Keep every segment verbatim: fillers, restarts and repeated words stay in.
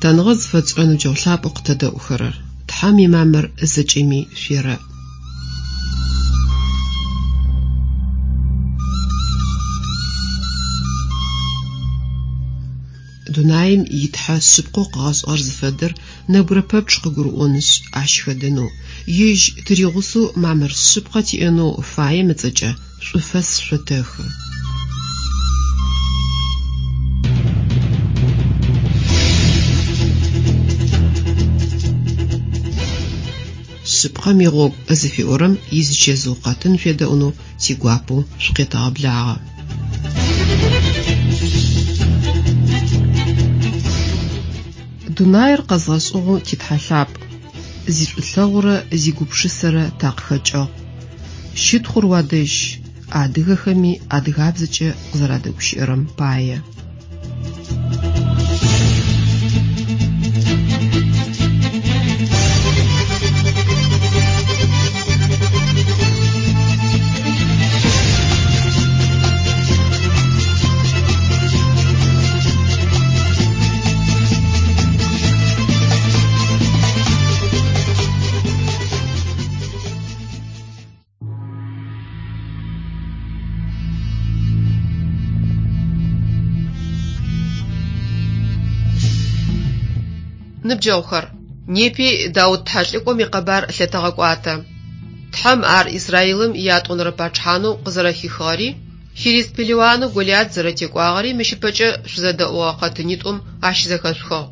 Лъытэныгъэ зыфэтшӏырэ ныбджэгъу лъапӏэу къытэдэӏухэрэр, Тхьэм имамыр зэкӏэми шъуерэӏ. Дунаим итхьэ шъыпкъэу къыгъэшӏыгъэр зыфэдэр нэбгырэ пэпчъ къыгурыӏонышъ, ащ хэдэнэу, ежь тыригъусэу мамыр шъыпкъэ тиӏэнэу фаем ыцӏэкӏэ шӏуфэс шъотэхы. Шъыпкъэм игъогу зыфиӏорэм изычэзыу къэтын шъуедэӏунэу тигуапэу шъукъетэгъэблагъэ. Дунаир къэзгъэшӏыгъэу титхьэ лъапӏ, зишӏулъэгъурэ зигупшысэрэ такъыхэкӏыгъ. Щытхъур уадэжь, адыгэхэми адыгабзэкӏэ къызэрадэгущыӏэрэм пае. Ныбджэгъухэр, непи Даут тхьэлӏыкӏом икъэбар лъэтэгъэкӏуатэ. Тхьэм ар Израилым иятӏонэрэ пачъыхьанэу къызэрэхихыгъэри, филист пелыуанэу Голиат зэрэтекӏуагъэри мыщ ыпэкӏэ шъузэдэӏугъэ къэтынитӏум ащызэхэшъухыгъ.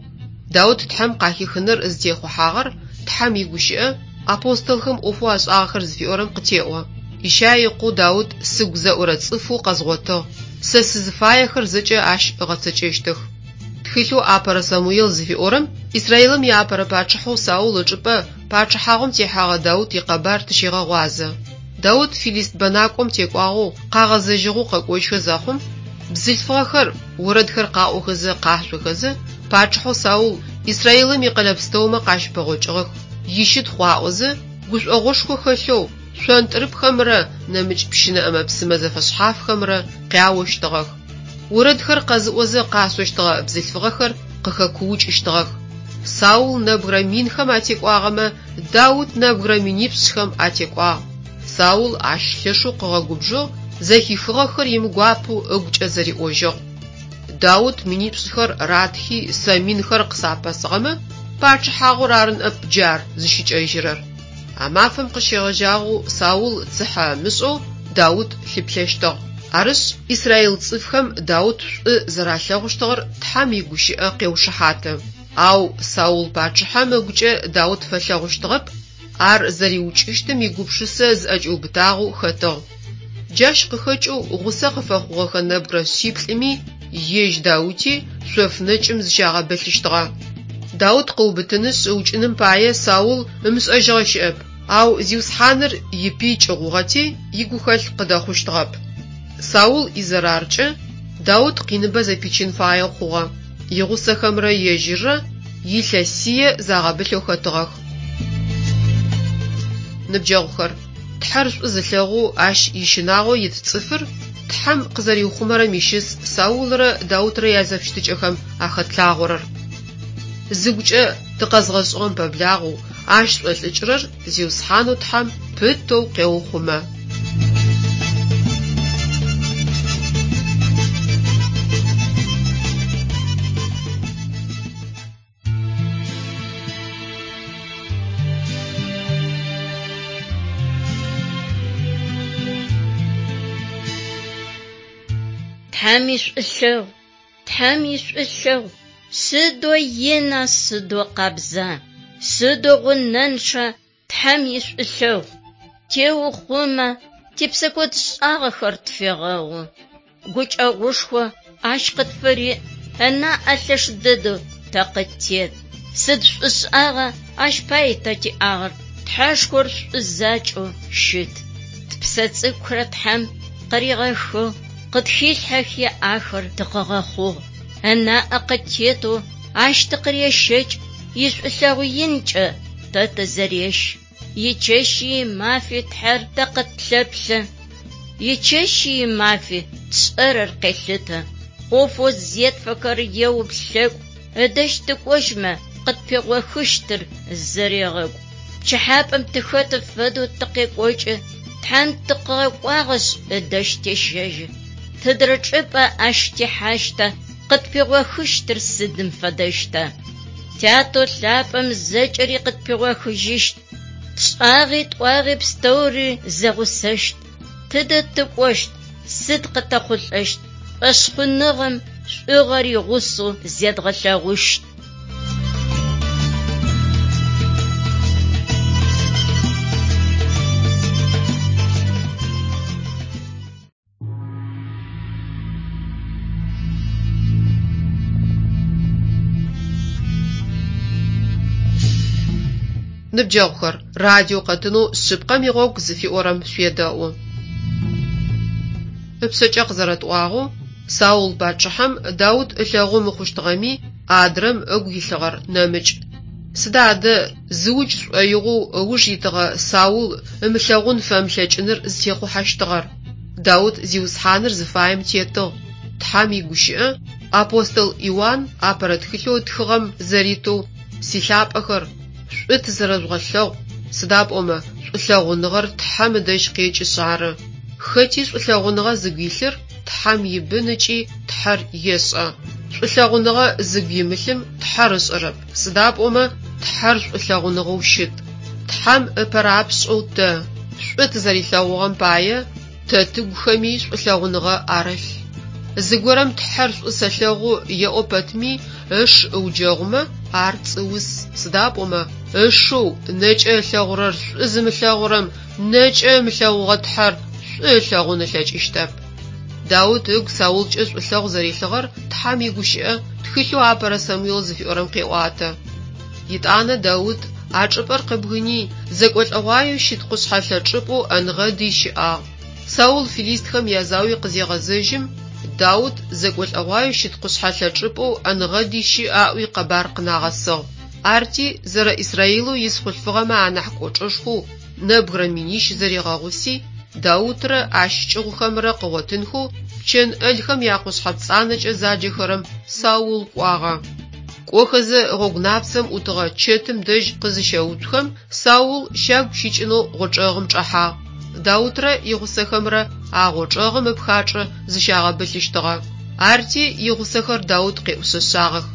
Даут Тхьэм къахихыныр зытехъухьагъэр Тхьэм игущыӏэ апостолхэм ӏофэу ашӏагъэхэр зыфиӏорэм къытеӏо. Ищай ыкъоу Даут сыгу зэӏурэ цӏыфэу къэзгъотыгъ, сэ сызыфаехэр зэкӏэ ащ ыгъэцэкӏэщтых. Тхылъэу Апэрэ Самуел зыфиӏорэм Израилым иапэрэ пачъыхьэу Саул ычӏыпӏэ пачъыхьагъум техьэгъэ Даут икъэбар тыщегъэгъуазэ. Даут филист бэнакӏом текӏуагъэу къагъэзэжьыгъэу къэкӏожьхэ зэхъум, бзылъфыгъэхэр орэдхэр къаӏохэзэ къашъохэзэ пачъыхьэу Саул Израилым икъэлэ пстэумэ къащыпэгъокӏыгъэх, ищытхъу аӏозэ, гушӏогъошхо хэлъэу шъонтӏрыпхэмрэ нэмыкӏ пщынэ ӏэмэ-псымэ зэфэшъхьафхэмрэ къяощтыгъэх. Орэдхэр къэзыӏозэ къашъощтыгъэ бзылъфыгъэхэр къыхэкуукӏыщтыгъэх. Саул нэбгырэ минхэм атекӏуагъэмэ, Даут нэбгырэ минипшӏхэм атекӏуагъ. Саул ащ лъэшэу къыгъэгубжыгъ, зэхихыгъэхэр имыгуапэу ыгукӏэ зэриӏожьыгъ. Даут минипшӏхэр ратхи сэ минхэр къысапэсыгъэмэ, пачъыхьагъур ары ныӏэп джар зыщыкӏэжьырэр. А мафэм къыщегъэжьагъэу Саул цыхьэ ымышӏэу Даут лъыплъэщтыгъ. Арышъ, Израил цӏыфхэм Даут шӏу зэралъэгъущтыгъэр Тхьэм игущыӏэ къеушыхьаты. Ау Саул пачъыхьэм ыгукӏэ Даут фэлъэгъущтыгъэп, ар зэриукӏыщтым игупшысэ зыӏэкӏиубытагъэу хэтыгъ. Джащ къыхэкӏэу гъусэ къыфэхъугъэхэ нэбгырэ шъиплӏыми ежь Даути шъоф нэкӏым зыщагъэбылъыщтыгъэ. Даут къыубытынышъ ыукӏыным пае Саул ымышӏэжьыгъэ щыӏэп, ау Зиусхьаныр ипый кӏыгъугъэти игухэлъ къыдэхъущтыгъэп. Саул изэраркӏэ Даут къиныбэ зэпичын фаеу хъугъэ. Игъусэхэмрэ ежьыррэ илъэсие загъэбылъэу хэтыгъэх. Ныбджэгъухэр, Тхьэр шӏу зылъэгъоу ащ ищынагъо ит цӏыфыр Тхьэм къызэриухъумэрэм ищыс Саулрэ Даутрэ язэфыщытыкӏэхэм ахэтлъагъорэр. Зыгукӏэ тыкъэзгъэшӏыгъэм пэблагъэу ащ шӏолӏыкӏырэр Зиусхьанэу Тхьэм пытэу къеухъумэ. Тхьэм ишӏулъэгъу, Тхьэм ишӏулъэгъу, сыдэу ина, сыдэу къабза, сыдэу гъунэнчъа Тхьэм ишӏулъэгъу. Теухъумэ, типсэкӏодшӏагъэхэр тфегъэгъу. Гукӏэгъушхо ащ къытфыриӏ, ынаӏэ лъэш дэдэу тэ къыттет. Сыд шӏушӏагъа ащ пае тэ тиӏагъэр, Тхьэшхор шӏу закӏэу щыт. Тпсэ цӏыкӏухэр Тхьэм къыригъэхыгъ, къытхилъхьэхи ахэр тыкъыгъэхъугъ. Ынаӏэ къыттетэу ащ тыкъырещэкӏ, ишӏулъэгъу инкӏэ тэ тызэрещ. Ичэщи имафи Тхьэр тэ къытлъэплъэ. Ичэщи имафи тшӏэрэр къелъытэ. ӏофэу зетфэхэр еуплъэкӏу, Ыдэжь тыкӏожьмэ къытпигъохыщтыр зэрегъэкӏу. Пчыхьапӏэм тыхэты фэдэу тыкъекӏокӏы, Тхьэм тыкъыгъэкӏуагъэшъ ыдэжь тещэжьы. Тыдрэ чӏыпӏэ ащ техьащта, къытпигъохыщтыр сыдым фэдэщта? Тятэу лъапӏэм зэкӏэри къытпигъохыжьыщт. Тшӏагъи тӏуагъи пстэури зэгъусэщт. Тыдэ тыкӏощт, сыд къытэхъулӏэщт, шӏошъхъуныгъэм шӏугъэр игъусэу зедгъэлъэгъущт. Ныбджэгъухэр, радио къэтынэу «Шъыпкъэм игъогу» зыфиӏорэм шъуедэӏу. Ыпшъэкӏэ къызэрэтӏуагъэу, Саул пачъыхьэм Даут ылъэгъу мыхъущтыгъэми, адрэм ыгу илъыгъэр нэмыкӏ. Сыда адэ зыукӏ шӏоигъоу ыуж итыгъэ Саул ымылъэгъун фэмылъэкӏыныр зытехъухьэщтыгъэр? Даут Зиусхьаныр зыфаем тетыгъ. Тхьэм игущыӏэ апостол Иуан апэрэ тхылъэу ытхыгъэм зэритэу «Силъапӏэхэр, шӏу тызэрэжъугъэлъэгъу, сыда пӏомэ шӏулъэгъуныгъэр Тхьэм ыдэжь къекӏышъ ары. Хэти шӏулъэгъуныгъэ зыгу илъыр Тхьэм ибын ыкӏи Тхьэр ешӏэ. Шӏулъэгъуныгъэ зыгу имылъым Тхьэр ышӏэрэп, сыда пӏомэ Тхьэр шӏулъэгъуныгъэу щыт. Тхьэм ыпэрапшӏэу тэ, шӏу тызэрилъэгъугъэм пае, тэ тыгухэми шӏулъэгъуныгъэ арылъ. Зыгорэм Тхьэр шӏу сэлъэгъу еӏо пэтми ыш ыуджэгъумэ, ар пцӏыус, сыда пӏомэ ышэу нэкӏэ ылъэгъурэр шӏу зымылъэгъурэм нэкӏэ ымылъэгъугъэ Тхьэр шӏу ылъэгъун ылъэкӏыщтэп. Даут ыгу Саулкӏэ шӏулъэгъу зэрилъыгъэр Тхьэм игущыӏэ тхылъэу апэрэ Самуел зыфиӏорэм къеӏуатэ. Итӏанэ Даут а чӏыпӏэр къыбгыни, зэкӏолӏэгъуаеу щыт къушъхьэлъэ чӏыпӏэу Ӏэнгъэдый щыӏагъ. Саул филистхэм язауи къызегъэзэжьым, Даут зэкӏолӏэгъуаеу щыт къушъхьэлъэ чӏыпӏэу Ӏэнгъэдый щыӏ аӏуи къэбар къынагъэсыгъ. Арти зэрэ Израилэу ис хъулъфыгъэмэ анахь кӏочӏэшхоу нэбгырэ минищ зэригъэгъуси, Даутрэ ащ кӏыгъухэмрэ къыгъотынхэу пчэн ӏэлхэм якъушъхьэ пцӏанэкӏэ заджэхэрэм Саул кӏуагъэ. Кӏохэзэ гъогу напцэм ӏутыгъэ чэтым дэжь къызыщэуцухэм, Саул щагу щикӏынэу гъочӏэгъым чӏэхьагъ. Даутрэ игъусэхэмрэ а гъочӏэгъым ыпхачӏэ зыщагъэбылъыщтыгъэ. Арти игъусэхэр Даут къеӏушъэшъагъэх.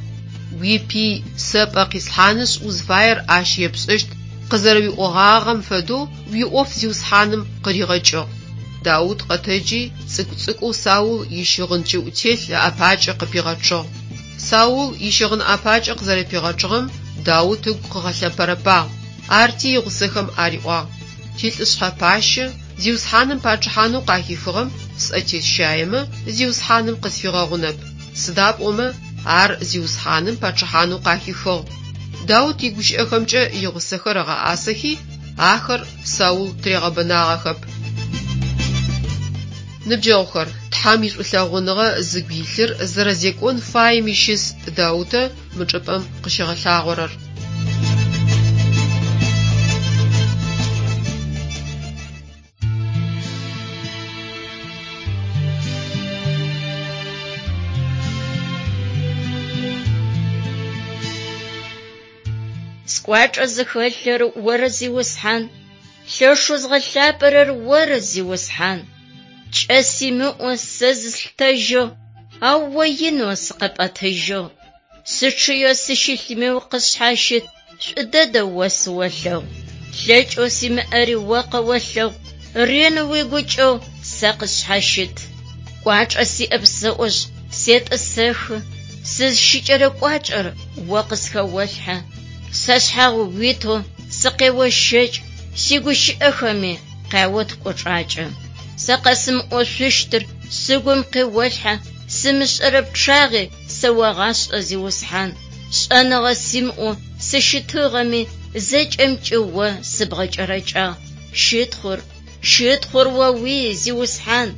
Уипый сэ пӏэ къислъхьанышъ узфаер ащ епшӏэщт къызэрэуиӏогъагъэм фэдэу уиӏоф Зиусхьаным къыригъэкӏыгъ. Даут къэтэджи цӏыкӏу-цӏыкӏоу Саул ищыгъын кӏыӏутелъ ыӏэпакӏэ къыпигъэчъыгъ. Саул ищыгъын ӏэпакӏэ къызэрэпигъэчъыгъэм Даут ыгу къыгъэлъэпэрэпагъ. Арти игъусэхэм ариӏуагъ: «Тилӏышъхьэ пащэ, Зиусхьаным пачъыхьанэу къахихыгъэм сӏэ тесщаемэ, Зиусхьаным къысфигъэгъунэп. Сыда пӏомэ ар Зиусхьаным пачъыхьанэу къахихыгъ». Даут игущыӏэхэмкӏэ игъусэхэр ыгъэӏасэхи, ахэр Саул тыригъэбэнагъэхэп. Ныбджэгъухэр, Тхьэм ишӏулъэгъуныгъэ зыгу илъыр зэрэзекӏон фаем ищыс Даутэ мы чӏыпӏэм къыщигъэлъагъорэр. Скӏуачӏэ зыхэлъыр оры, Зиусхьан, лъэшэу згъэлъапӏэрэр оры, Зиусхьан. Кӏэ симыӏэу сэ зыслъытэжьыгъ, ау о инэу сыкъэпӏэтыжьыгъ. Сычъыеу сыщылъми укъысшъхьащыт, шӏу дэдэ о сыолъэгъу. Лъэкӏэу симыӏэри о къэолъэгъу, ренэу уигукӏэгъу сэ къысшъхьащыт. Кӏуачӏэ сиӏэп сэӏошъ, сетӏысэхы, сызщыкӏэрэ кӏуачӏэр о къысхэолъхьэ. Сашъхьагъ уитэу сыкъеощэкӏ, сигущыӏэхэми къяот кӏочӏакӏэ. Сэ къэсымыӏошъущтыр сыгум къеолъхьэ, сымышӏэрэ пчъагъи сэогъашӏэ, Зиусхьан. Шӏэныгъэ симыӏэу сыщытыгъэми, зэкӏэмкӏи о сыбгъэкӏэрэкӏагъ. Щытхъур, щытхъур о уий, Зиусхьан.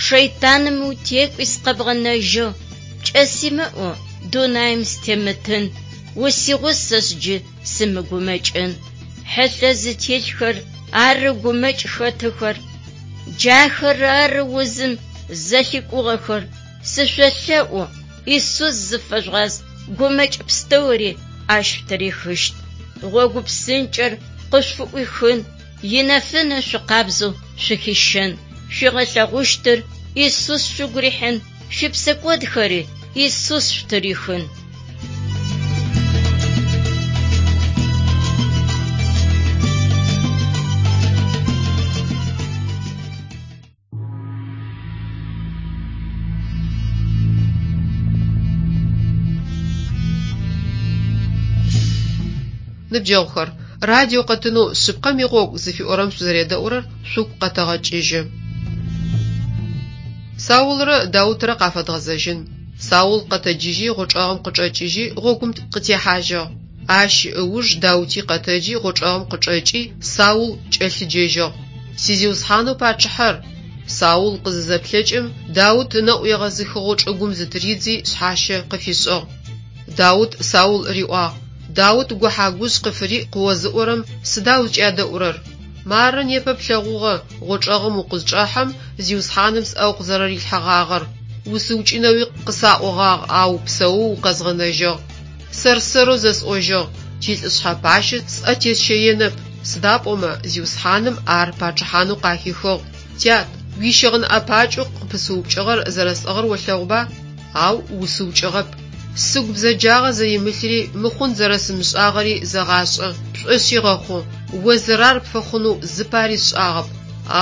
Шэйтаным утекӏуи сыкъэбгъэнэжьыгъ. Пкӏэ симыӏэу дунаим сытемытын, усигъусэшъ джы сымыгумэкӏын. Хьылъэ зытелъхэр ары гумэкӏ хэтыхэр, джахэр ары узым зэлъикӏугъэхэр. Сышъолъэӏу, Исус зыфэжъугъаз, Гумэкӏ пстэури ащ шъутырихыщт. Гъогу псынкӏэр къышъуфыӏуихын, инэфынэ шъукъабзэу шъухищэн. Шъуигъэлъэгъущтыр Исус шъугу рихьын, шъуипсэкӏодхэри Исус шъутырихын. Ныбджэгъухэр, радио къэтынэу «Шъыпкъэм игъогу» зыфиӏорэм шъузэредэӏурэр шъугу къэтэгъэкӏыжьы. Саулрэ Даутрэ къафэдгъэзэжьын. Саул къэтэджыжьи гъочӏэгъым къычӏэкӏыжьи гъогум къытехьажьыгъ. Ащ ыуж Даути къэтэджи гъочӏэгъым къычӏэкӏи Саул кӏэлъыджэжьыгъ: «Сизиусхьанэу пачъыхьэр!» Саул къызызэплъэкӏым, Даут ынэӏу егъэзыхыгъэу чӏыгум зытыридзи шъхьащэ къыфишӏыгъ. Даут Саул риӏуагъ: «Даут гухьа-гужъ къыфыриӏ къыозыӏорэм сыда узкӏядэӏурэр? Мары непэ плъэгъугъэ гъочӏэгъым укъызчӏэхьэм Зиусхьаным сӏэ укъызэрэрилъхьэгъагъэр. Усыукӏынэуи къысаӏогъагъ, ау псэоу укъэзгъэнэжьыгъ. Сэр-сэрэу зэсӏожьыгъ: «Тилӏышъхьэ пащэ сӏэ тесщэенэп, сыда пӏомэ Зиусхьаным ар пачъыхьанэу къахихыгъ». Тят, уищыгъын ӏэпакӏэу къыпысыупкӏыгъэр зэрэсӏыгъыр олъэгъуба? Ау усыукӏыгъэп. Сыгу бзэджагъэ зэримылъри, мыхъун зэрэсымышӏагъэри зэгъашӏэ, пшӏошъи гъэхъу. О зэрар пфэхъунэу зыпари сшӏагъэп,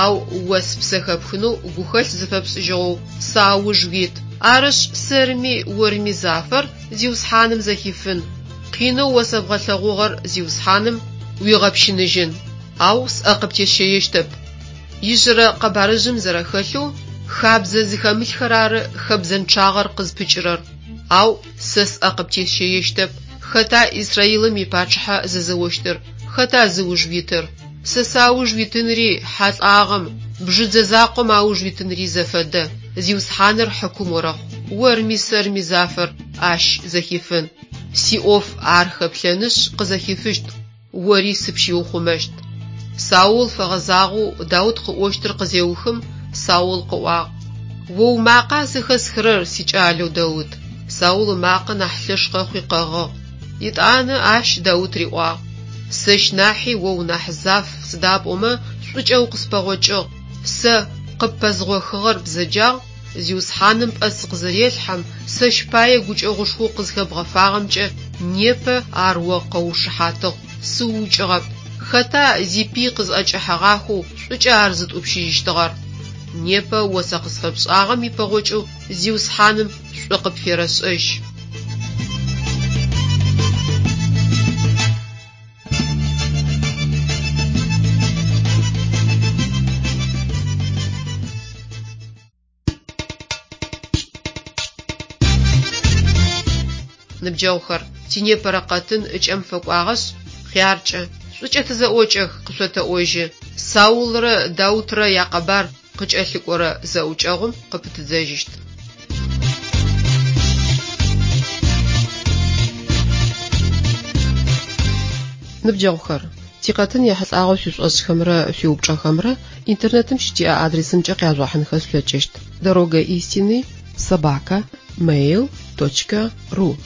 ау о спсэ хэпхынэу гухэлъ зыфэпшӏыжьыгъэу сауж уит. Арышъ, сэрми орми зафэр Зиусхьаным зэхифын. Къинэу о сэбгъэлъэгъугъэр Зиусхьаным уигъэпщыныжьын. Ау сӏэ къыптесщэещтэп. Ижъырэ къэбарыжъым зэрэхэлъэу, хабзэ зыхэмылъхэр ары хэбзэнчъагъэр къызпыкӏырэр. Ау сэ сӏэ къыптесщэещтэп. Хэта Израилым ипачъыхьэ зэзэощтыр? Хэта зыуж уитыр? Сэ сауж уитынри хьэ лӏагъэм, бжыдзэ закъом ауж уитынри зэфэдэ. Зиусхьаныр хьыкум орэхъу. Орми сэрми зафэр ащ зэхифын. Сиӏоф ар хэплъэнышъ къызэхифыщт, ори сыпщиухъумэщт. Саул фэгъэзагъэу Даут къыӏощтыр къызеухым, Саул къыӏуагъ: «О умакъа зэхэсхырэр, сикӏалэу Даут?» Саул ымакъэ нахь лъэш къэхъуи къэгъыгъ. Етӏанэ ащ Даут риӏуагъ: «Сэщ нахьи о унахь заф, сыда пӏомэ шӏукӏэ укъыспэгъокӏыгъ. Сэ къыппэзгъохыгъэр бзэджагъ, Зиусхьаным пӏэ сыкъызырелъхьэм, сэщ пае гукӏэгъушхоу къызхэбгъэфагъэмкӏэ непэ ар о къэуушыхьатыгъ, сыуукӏыгъэп. Хэта зипый къызӏэкӏэхьэгъахэу шӏукӏэ ар зытӏупщыжьыщтыгъэр? Непэ о сэ къысфэпшӏагъэм ипэгъокӏэу Зиусхьаным шӏу къыпферэшӏэжь». Ныбджэгъухэр, тинепэрэ къэтын ыкӏэм фэкӏуагъэшъ, хъяркӏэ, шӏукӏэ тызэӏокӏэх, къышъотэӏожьы. Саулрэ Даутрэ якъэбар къыкӏэлъыкӏорэ зэӏукӏэгъум къыпытыдзэжьыщт. Ныбджэгъухэр, тикъэтын ехьылӏагъэу шъуишӏошӏхэмрэ шъуиупчӏэхэмрэ интернетым щытиӏэ адресымкӏэ къяжъугъэхьынхэ шъулъэкӏыщт: дорога истины собака mail точка ру.